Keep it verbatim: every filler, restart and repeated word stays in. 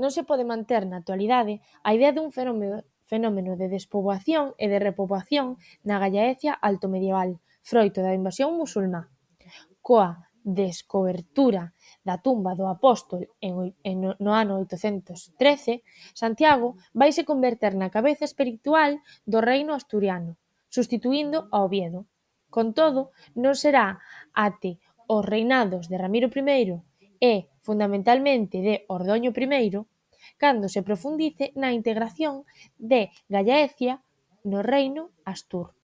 Non se pode manter na actualidade a idea dun fenómeno fenómeno de despoboación e de repoboación na Gallaecia altomedieval, froito da invasión musulmá. Coa descobertura da tumba do apóstol en, en, no ano oitocentos trece, Santiago vaise converter na cabeza espiritual do reino asturiano, substituíndo a Oviedo. Con todo, non será até os reinados de Ramiro I e, fundamentalmente, de Ordoño I cando se profundice na integración de Gallaecia no reino astur.